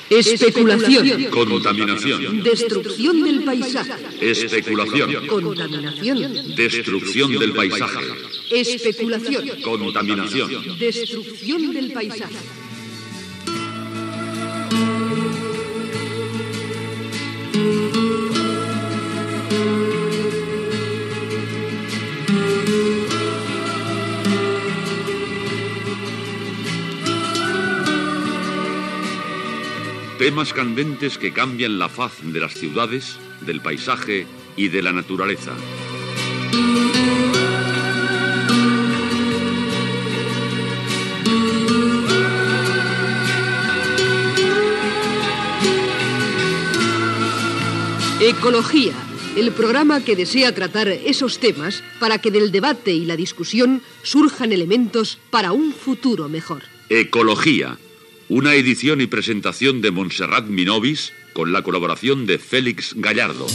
Especulación. Contaminación. Destrucción del paisaje. Especulación. Contaminación. Destrucción del paisaje. Especulación. Contaminación. Destrucción del paisaje. Temas candentes que cambian la faz de las ciudades, del paisaje y de la naturaleza. Ecología, el programa que desea tratar esos temas para que del debate y la discusión surjan elementos para un futuro mejor. Ecología, una edición y presentación de Montserrat Minovis con la colaboración de Félix Gallardo.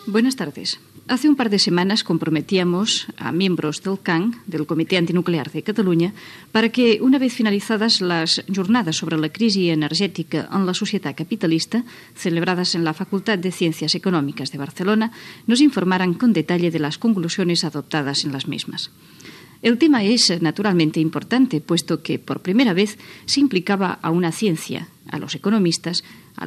Buenas tardes. Hace un par de semanas comprometíamos a miembros del CAN, del Comité Antinuclear de Catalunya, para que, una vez finalizadas las jornadas sobre la crisi energètica en la societat capitalista, celebradas en la Facultad de Ciencias Económicas de Barcelona, nos informaran con detalle de las conclusiones adoptadas en las mismas. El tema es naturalmente importante, puesto que por primera vez se implicaba a una ciencia, a los economistas, a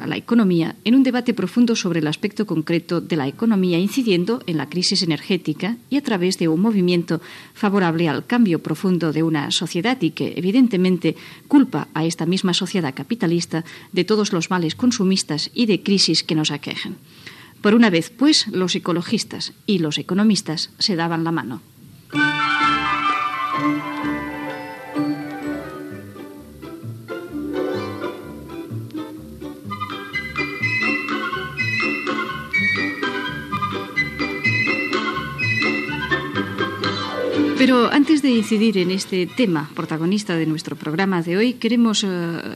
la economía, en un debate profundo sobre el aspecto concreto de la economía, incidiendo en la crisis energética y a través de un movimiento favorable al cambio profundo de una sociedad y que, evidentemente, culpa a esta misma sociedad capitalista de todos los males consumistas y de crisis que nos aquejan. Por una vez, pues, los ecologistas y los economistas se daban la mano. Pero antes de incidir en este tema protagonista de nuestro programa de hoy, queremos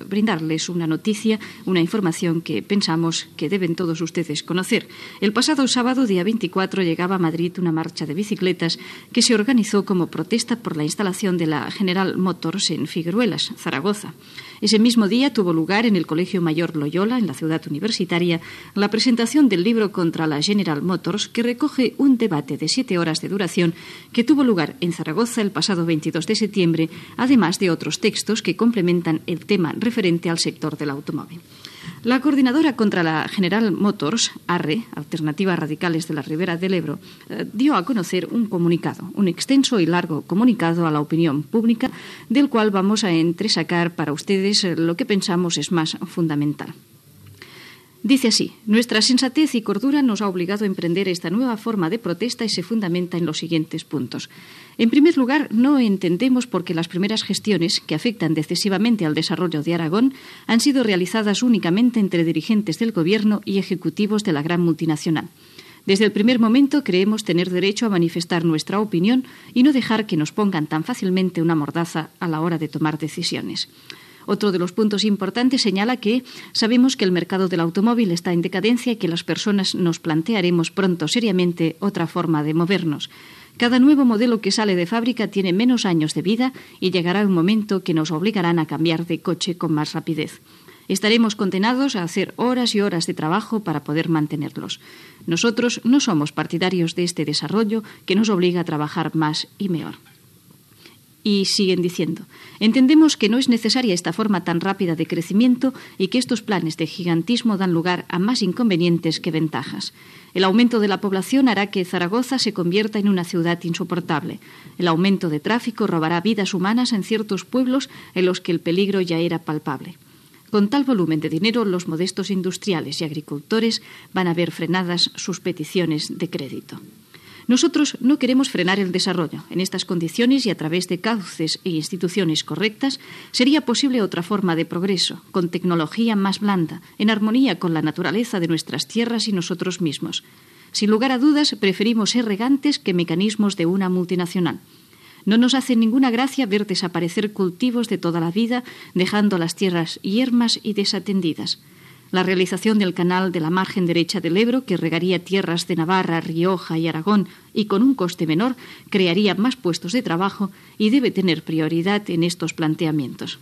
brindarles una noticia, una información que pensamos que deben todos ustedes conocer. El pasado sábado, día 24, llegaba a Madrid una marcha de bicicletas que se organizó como protesta por la instalación de la General Motors en Figueruelas, Zaragoza. Ese mismo día tuvo lugar en el Colegio Mayor Loyola, en la ciudad universitaria, la presentación del libro contra la General Motors, que recoge un debate de 7 horas de duración que tuvo lugar en Zaragoza el pasado 22 de septiembre, además de otros textos que complementan el tema referente al sector del automóvil. La coordinadora contra la General Motors, ARRE, Alternativas Radicales de la Ribera del Ebro, dio a conocer un comunicado, un extenso y largo comunicado a la opinión pública, del cual vamos a entresacar para ustedes lo que pensamos es más fundamental. Dice así: nuestra sensatez y cordura nos ha obligado a emprender esta nueva forma de protesta y se fundamenta en los siguientes puntos. En primer lugar, no entendemos por qué las primeras gestiones que afectan decisivamente al desarrollo de Aragón han sido realizadas únicamente entre dirigentes del Gobierno y ejecutivos de la gran multinacional. Desde el primer momento creemos tener derecho a manifestar nuestra opinión y no dejar que nos pongan tan fácilmente una mordaza a la hora de tomar decisiones. Otro de los puntos importantes señala que sabemos que el mercado del automóvil está en decadencia y que las personas nos plantearemos pronto seriamente otra forma de movernos. Cada nuevo modelo que sale de fábrica tiene menos años de vida y llegará un momento que nos obligarán a cambiar de coche con más rapidez. Estaremos condenados a hacer horas y horas de trabajo para poder mantenerlos. Nosotros no somos partidarios de este desarrollo que nos obliga a trabajar más y mejor. Y siguen diciendo: entendemos que no es necesaria esta forma tan rápida de crecimiento y que estos planes de gigantismo dan lugar a más inconvenientes que ventajas. El aumento de la población hará que Zaragoza se convierta en una ciudad insoportable. El aumento de tráfico robará vidas humanas en ciertos pueblos en los que el peligro ya era palpable. Con tal volumen de dinero, los modestos industriales y agricultores van a ver frenadas sus peticiones de crédito. Nosotros no queremos frenar el desarrollo. En estas condiciones y a través de cauces e instituciones correctas, sería posible otra forma de progreso, con tecnología más blanda, en armonía con la naturaleza de nuestras tierras y nosotros mismos. Sin lugar a dudas, preferimos ser regantes que mecanismos de una multinacional. No nos hace ninguna gracia ver desaparecer cultivos de toda la vida, dejando las tierras yermas y desatendidas. La realización del canal de la margen derecha del Ebro, que regaría tierras de Navarra, Rioja y Aragón y con un coste menor, crearía más puestos de trabajo y debe tener prioridad en estos planteamientos.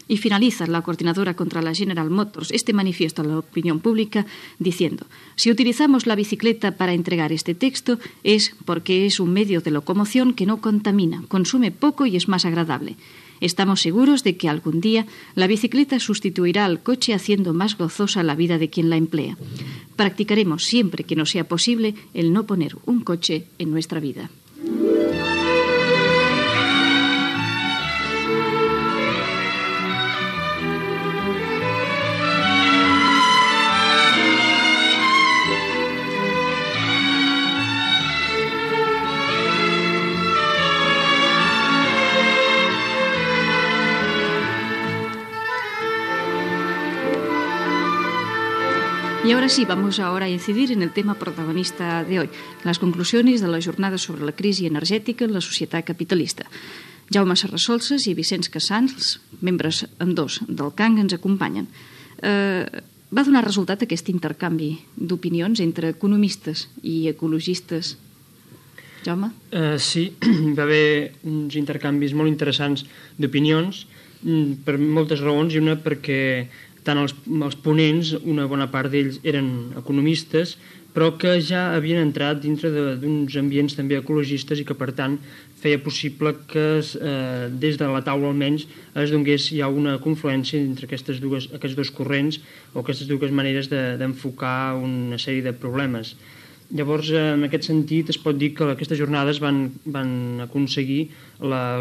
Y finaliza la coordinadora contra la General Motors este manifiesto a la opinión pública diciendo: si utilizamos la bicicleta para entregar este texto es porque es un medio de locomoción que no contamina, consume poco y es más agradable. Estamos seguros de que algún día la bicicleta sustituirá al coche haciendo más gozosa la vida de quien la emplea. Practicaremos siempre que nos sea posible el no poner un coche en nuestra vida. Y ahora sí, vamos ahora a incidir en el tema protagonista de hoy, las conclusiones de la jornada sobre la crisi energètica en la societat capitalista. Jaume Serrasolses i Vicenç Casals, membres ambdós del CANG, ens acompanyen. Va donar resultat aquest intercanvi d'opinions entre economistes i ecologistes? Jaume? Sí, va haver uns intercanvis molt interessants d'opinions per moltes raons, i una perquè tant els ponents, una bona part d'ells eren economistes, però que ja havien entrat dintre d'uns ambients també ecologistes i que, per tant, feia possible que des de la taula almenys es donés ja una confluència entre aquests dos corrents o aquestes dues maneres d'enfocar una sèrie de problemes. Llavors, en aquest sentit, es pot dir que aquestes jornades van aconseguir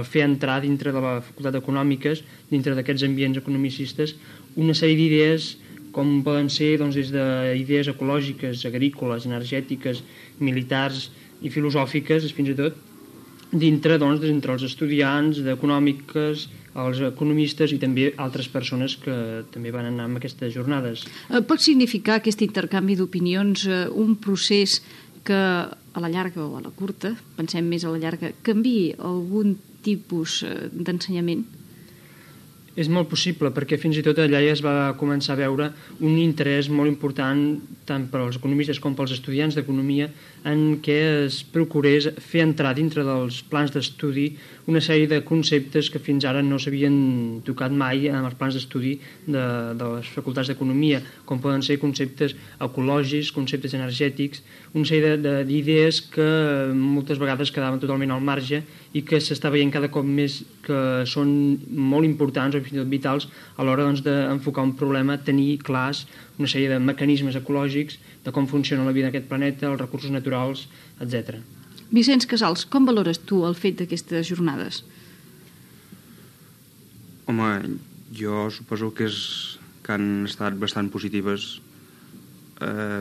fer entrar dintre de la Facultat d'Econòmiques, dintre d'aquests ambients economicistes, una sèrie d'idees com poden ser des d'idees ecològiques, agrícoles, energètiques, militars i filosòfiques, fins i tot, dintre entre els estudiants d'econòmiques, els economistes i també altres persones que també van anar a aquestes jornades. Pot significar aquest intercanvi d'opinions un procés que a la llarga o a la curta, pensem més a la llarga, canviï algun tipus d'ensenyament? És molt possible, perquè fins i tot allà ja es va començar a veure un interès molt important tant per als economistes com pels estudiants d'economia en què es procurés fer entrar dintre dels plans d'estudi una sèrie de conceptes que fins ara no s'havien tocat mai en els plans d'estudi de les facultats d'economia, com poden ser conceptes ecològics, conceptes energètics, una sèrie d'idees que moltes vegades quedaven totalment al marge i que s'està veient cada cop més que són molt importants o fins i tot vitals a l'hora d'enfocar un problema, tenir clars una sèrie de mecanismes ecològics, de com funciona la vida d'aquest planeta, els recursos naturals, etc. Vicenç Casals, com valores tu el fet d'aquestes jornades? Home, jo suposo que han estat bastant positives,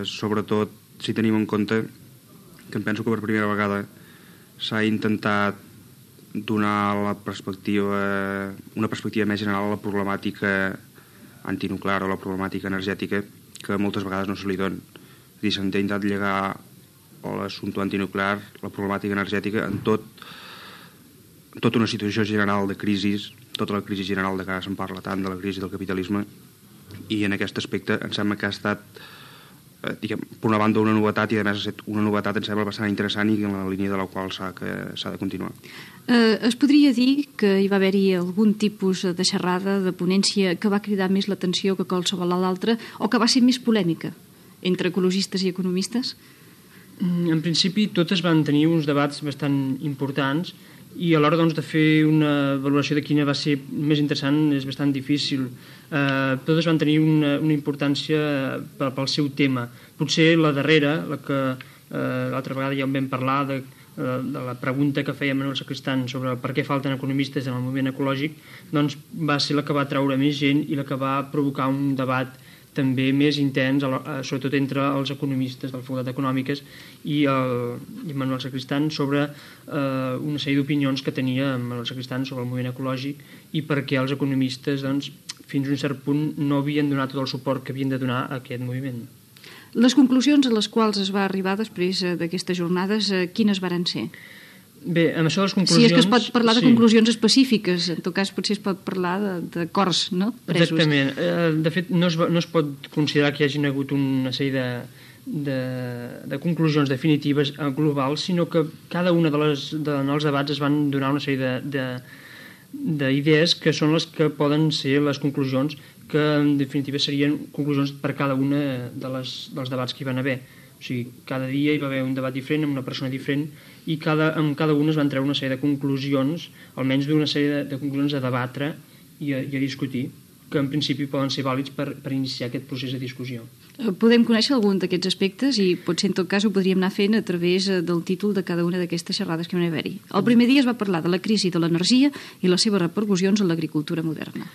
sobretot si tenim en compte que em penso que per primera vegada s'ha intentat donar una perspectiva més general a la problemàtica antinuclear o la problemàtica energètica que moltes vegades no se li dona. És a dir, s'ha intentat lligar l'assumpte antinuclear, la problemàtica energètica, en tota una situació general de crisi, tota la crisi general de que ara se'n parla tant, de la crisi del capitalisme, i en aquest aspecte em sembla que ha estat, per una banda, una novetat, i a més ha estat una novetat, em sembla bastant interessant i en la línia de la qual s'ha de continuar. Es podria dir que hi va haver-hi algun tipus de xerrada, de ponència, que va cridar més l'atenció que qualsevol l'altra, o que va ser més polèmica entre ecologistes i economistes? En principi, totes van tenir uns debats bastant importants i a l'hora de fer una valoració de quina va ser més interessant és bastant difícil. Totes van tenir una importància pel seu tema. Potser la darrera, la que l'altra vegada ja en vam parlar, de la pregunta que feia Manuel Sacristán sobre per què falten economistes en el moviment ecològic, doncs va ser la que va traure més gent i la que va provocar un debat també més intens, sobretot entre els economistes de la Facultat d'Econòmiques i Manuel Sacristán sobre una sèrie d'opinions que tenia Manuel Sacristán sobre el moviment ecològic i per què els economistes fins a un cert punt no havien donat tot el suport que havien de donar a aquest moviment. Les conclusions a les quals es va arribar després d'aquestes jornades, quines varen ser? Bé, amb això de les conclusions... Si és que es pot parlar de conclusions específiques, en tot cas potser es pot parlar d'acords, no? Presos. Exactament. De fet, no es pot considerar que hi hagin hagut una sèrie de conclusions definitives globals, sinó que cada una dels debats es van donar una sèrie d'idees que són les que poden ser les conclusions, que en definitiva serien conclusions per cada una dels debats que hi van haver. O sigui, cada dia hi va haver un debat diferent amb una persona diferent i amb cada una es van treure una sèrie de conclusions, almenys d'una sèrie de conclusions a debatre i a discutir, que en principi poden ser vàlids per iniciar aquest procés de discussió. Podem conèixer algun d'aquests aspectes i potser en tot cas ho podríem anar fent a través del títol de cada una d'aquestes xerrades que van haver-hi. El primer dia es va parlar de la crisi de l'energia i les seves repercussions en l'agricultura moderna.